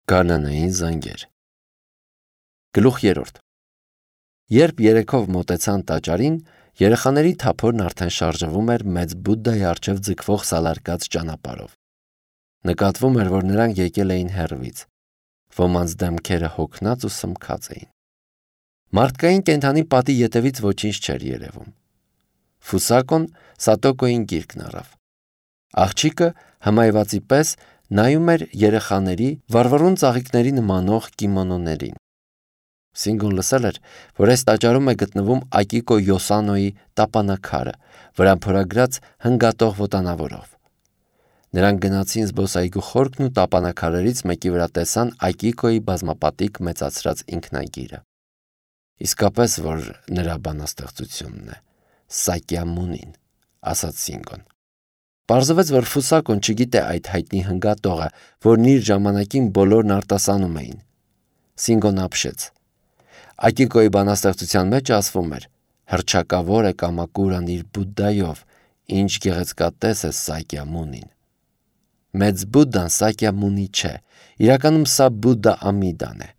Գարնանային զանգեր։ Գլուխ 3. Երբ երեքով մոտեցան տաճարին, երեխաների թափորն արդեն շարժվում էր մեծ Բուդդայի առջև ձգվող սալարկած ճանապարհով։ Նկատվում էր, որ նրանք եկել էին հեռվից։ Ոմանց դեմքերը հոգնած ու սմքած էին։ Մարդկային կենդանի պատի ետևից ոչինչ չէր երևում։ Ֆուսակոն Սատոկոյին գիրկն առավ։ Աղջիկը հմայվածի պես նայում էր երեխաների վառվռուն ծաղիկների նմանող կիմոնոներին։ Սինգոն լսել էր, որ այս տաճարում է գտնվում Ակիկո Յոսանոյի տապանաքարը, վրան փորագրած հնգատող ոտանավորով։ Նրանք գնացին զբոսայգու խորքն ու տապանաքարերից մեկի վրա տեսան Ակիկոյի բազմապատիկ մեծացրած ինքնագիրը։ Իսկապես որ նրա բանաստեղծությունն է, Սակյամունին, ասաց Սինգոն։ Պարզվեց, որ Ֆուսակոն չգիտե այդ հայտնի հնգատողը, որն իր ժամանակին բոլորն արտասանում էին։ Սինգոն ապշեց։ Ակիկոյի բանաստեղծության մեջ ասվում էր. հռչակավոր է Կամակուրան իր Բուդդայով, ինչ գեղեցկատես է Սակյամունին։ Մեծ Բուդդան Սակյամունի չէ, իրականում սա Բուդդա Ամիդան է։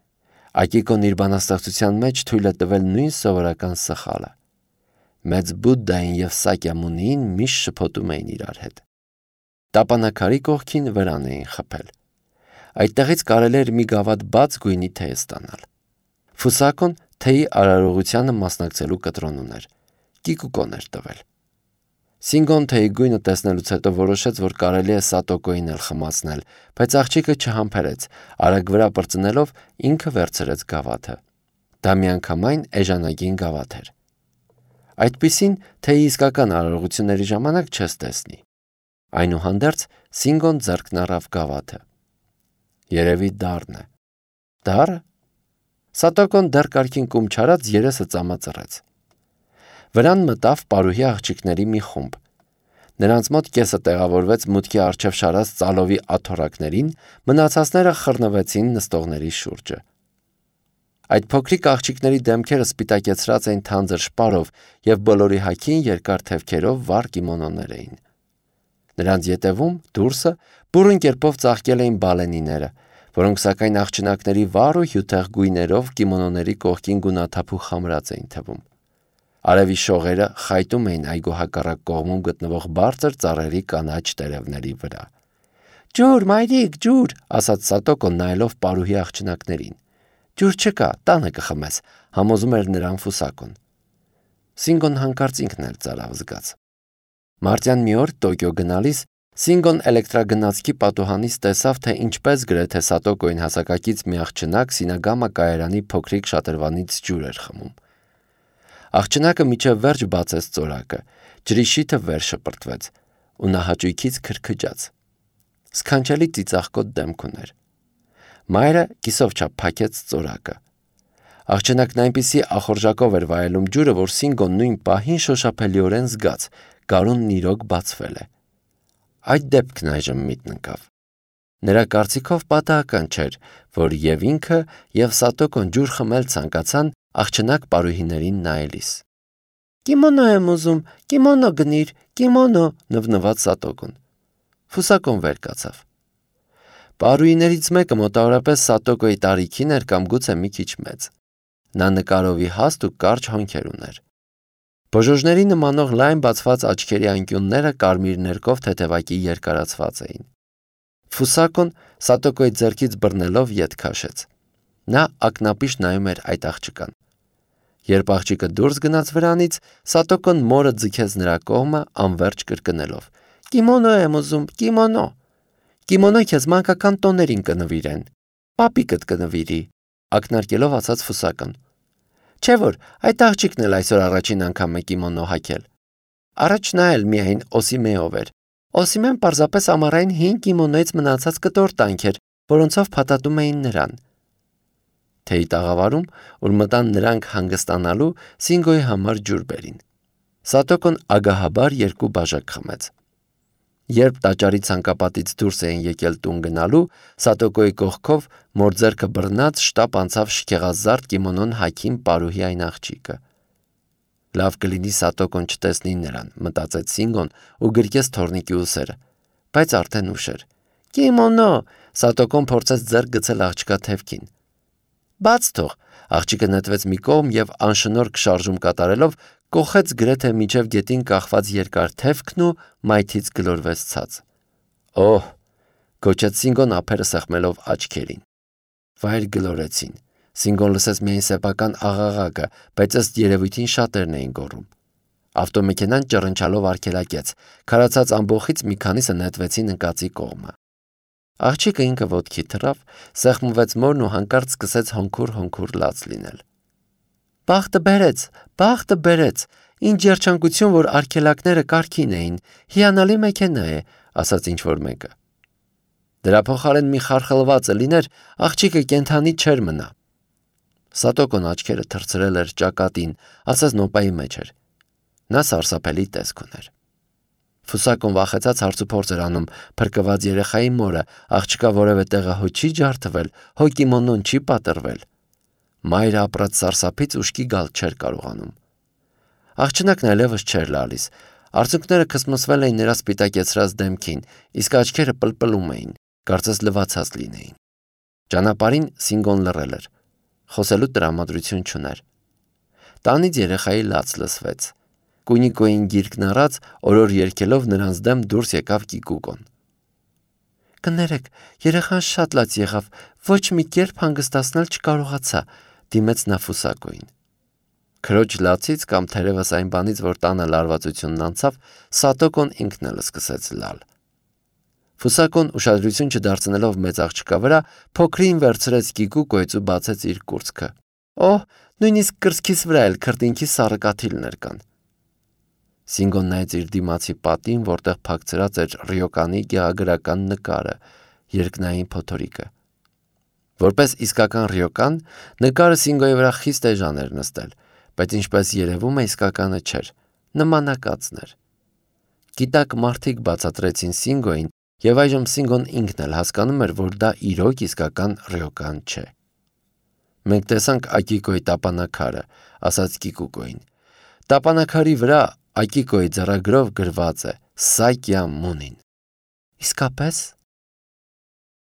Ակիկոն իր բանաստեղծության մեջ թույլ է տվել նույն սովորական սխալը։ Մեծ Բուդդային և Սակյամունիին միշտ շփոթում էին իրար հետ։ Տապանաքարի կողքին վրան էին խփել։ Այդտեղից կարելի էր մի գավաթ բաց գույնի թեյ ստանալ։ Ֆուսակոն թեյի արարողությանը մասնակցելու կտրոն ուներ։ Կիկուկոն էր տվել։ Սինգոն թեյի գույնը տեսնելուց հետո որոշեց, որ կարելի է Սատոկոյին էլ խմացնել, բայց աղջիկը չհամբերեց, արագ վրա պրծնելով ինքը վերցրեց գավաթը։ Դա միանգամայն էժանագին գավաթ էր։ Այդպիսին թեյի իսկական արարողությունների ժամանակ չես տեսնի։ Այնուհանդերձ Սինգոն ձեռքն առավ գավաթը։ Երևի դառն է։ Դառը։ Սատոկոն դեռ կարգին կում չարած երեսը ծամածռեց։ Վրան մտավ պարուհի աղջիկների մի խումբ։ Նրանց մոտ կեսը տեղավորվեց մուտքի առջև շարած ծալովի աթոռակներին, մնացածները խռնվեցին նստողների շուրջը։ Այդ փոքրիկ աղջիկների դեմքերը սպիտակեցրած էին թանձր շպարով և բոլորի հագին երկար թևքերով վառ կիմոնոներ էին։ Նրանց ետևում, դուրսը, բուռն կերպով ծաղկել էին բալենիները, որոնք սակայն աղջնակների վառ ու հյութեղ գույներով կիմոնոների կողքին գունաթափ ու խամրած էին թվում։ Արևի շողերը խայտում էին այգու հակառակ կողմում գտնվող բարձր ծառերի կանաչ տերևների վրա։ «Ջուր, մայրիկ, ջուր», ասաց Սատոկոն նայելով պարուհի աղջնակներին։ «Ջուր չկա, տանը կխմես», համոզում էր նրան Ֆուսակոն։ Սինգոն հանկարծ ինքն էլ ծարավ զգաց։ Մարտյան մի օր Տոկիո գնալիս Սինգոն էլեկտրագնացքի պատուհանից տեսավ, թե ինչպես գրեթե Սատոկոյին հասակակից մի աղջնակ Սինագամա կայարանի փոքրիկ շատրվանից ջուր էր խմում։ Աղջնակը միջև վերջ բացեց ծորակը, ջրի շիթը վեր շպրտվեց, ու նա հաճույքից քրքջաց։ Սքանչելի ծիծաղկոտ դեմք ուներ։ Մայրը կիսով չափ փակեց ծորակը։ Աղջնակն այնպիսի ախորժակով էր վայելում ջուրը, որ Սինգոն նույն պահին շոշափելիորեն զգաց՝ գարունն իրոք բացվել է։ Այդ դեպքն այժմ միտն ընկավ։ Նրա կարծիքով պատահական չէր, որ և ինքը, և Սատոկոն ջուր խմել ցանկացան աղջնակ պարուհիներին նայելիս։ «Կիմոնո եմ ուզում, կիմոնո գնիր, կիմոնո», նվնվաց Սատոկոն։ Ֆուսակոն վեր կացավ։ Պարուհիներից մեկը մոտավորապես Սատոկոյի տարիքին էր կամ գուցե մի քիչ մեծ։ Նա նկարովի հաստ ու կարճ հոնքեր ուներ։ Բոժոժների նմանող լայն բացված աչքերի անկյունները կարմիր ներկով թեթևակի երկարացված էին։ Ֆուսակոն Սատոկոյի ձեռքից բռնելով ետ քաշեց։ Նա ակնապիշ նայում էր այդ աղջկան։ Երբ աղջիկը դուրս գնաց վրանից, Սատոկոն մորը ձգեց նրա կողմը անվերջ կրկնելով. «Կիմոնո եմ ուզում, կիմոնո։ Կիմոնո քեզ մանկական տոներին կնվիրեն։ Պապիկդ կնվիրի», ակնարկելով ասաց Ֆուսակոն։ Չէ՞ որ այդ աղջիկն էլ այսօր առաջին անգամ է կիմոնո հագել։ Առաջ նա էլ միայն Օսիմեով էր։ Օսիմեն պարզապես ամառային հին կիմոնոից մնացած կտոր-տանք էր, որոնցով փաթաթում էին նրան։ Թեյի տաղավարում, ուր մտան նրանք հանգստանալու, Սինգոյի համար ջուր բերին։ Սատոկոն ագահաբար երկու բաժակ խմեց։ Երբ տաճարի ցանկապատից դուրս էին եկել տուն գնալու, Սատոկոյի կողքով մոր ձեռքը բռնած շտապ անցավ շքեղազարդ կիմոնոն հագին պարուհի այն աղջիկը։ Լավ կլինի Սատոկոն չտեսնի նրան, մտածեց Սինգոն ու գրկեց թոռնիկի ուսերը, բայց արդեն ուշ էր։ «Կիմոնո, Սատոկոն փորձեց ձեռք գցել աղջկա թևքին։ Բաց թող, աղջիկը նետվեց մի կողմ եւ անշնորհք շարժում կատարելով կոխեց գրեթե միջև գետին կախված երկար թևքն ու մայթից գլորվեց ցած։ Օհ, գոչեց Սինգոն ափերը սեղմելով աչքերին։ Վայր գլորեցին։ Սինգոն լսեց միայն սեփական աղաղակը, բայց ըստ երևույթին շատերն էին գոռում։ Ավտոմեքենան ճռնչալով արգելակեց։ Քարացած ամբոխից մի քանիսը նետվեցին ընկածի կողմը։ Աղջիկը ինքը ոտքի թռավ, սեղմվեց մորն ու հանկարծ սկսեց հոնքուր լաց լինել։ Բախտը բերեց, ինչ երջանկություն, որ արգելակները կարգին էին, հիանալի մեքենա է, ասաց ինչ-որ մեկը։ Դրա փոխարեն մի խարխլվածը լիներ, աղջիկը կենդանի չէր մնա։ Սատոկոն աչքերը թռցրել էր ճակատին, ասես նոպայի մեջ էր։ Նա սարսափելի տեսք ուներ։ Ֆուսակոն վախեցած հարցուփորձ էր անում փրկված երեխայի մորը, աղջկա որևէ տեղը հո չի ջարդվել, հո կիմոնոն չի պատրվել։ Մայրը ապրած սարսափից ուշքի գալ չէր կարողանում։ Աղջնակն այլևս չէր լալիս։ Արցունքները քսմսվել էին նրա սպիտակեցրած դեմքին, իսկ աչքերը պլպլում էին, կարծես լվացած լինեին։ Ճանապարհին Սինգոն լռել էր։ Խոսելու տրամադրություն չուներ։ Տանից երեխայի լաց լսվեց։ Կունիկոյին գիրկն առած, օրոր երգելով նրանց դեմ դուրս եկավ Կիկուկոն։ Կներեք, երեխան շատ լաց եղավ, ոչ մի կերպ հանգստացնել չկարողացա, դիմեց նա Ֆուսակոյին։ Քրոջ լացից կամ թերևս այն բանից, որ տանը լարվածությունն անցավ, Սատոկոն ինքն էլ սկսեց լալ։ Ֆուսակոն ուշադրություն չդարձնելով մեծ աղջկա վրա, փոքրին վերցրեց Կիկուկոյից ու բացեց իր կուրծքը։ Օհ, նույնիսկ կրծքիս վրա էլ քրտինքի սառը կաթիլներ կան։ Սինգոն նայեց իր դիմացի պատին, որտեղ փակցրած էր Ռյոկանի գեղագրական նկարը, երկնային փոթորիկը։ Որպես իսկական Ռյոկան, նկարը Սինգոյի վրա խիստ էժան էր նստել, բայց ինչպես երևում է իսկականը չէր, նմանակածն էր։ Գիտակ մարդիկ բացատրեցին Սինգոյին, եւ այժմ Սինգոն ինքն էլ հասկանում էր, որ դա իրոք իսկական Ռյոկան չէ։ Մենք տեսանք Ակիկոյի տապանակարը, ասաց Կիկուկոյին։ Տապանակարի վրա Ակիկոյի ձեռագրով գրված է Սակյա Մունին։ Իսկապես,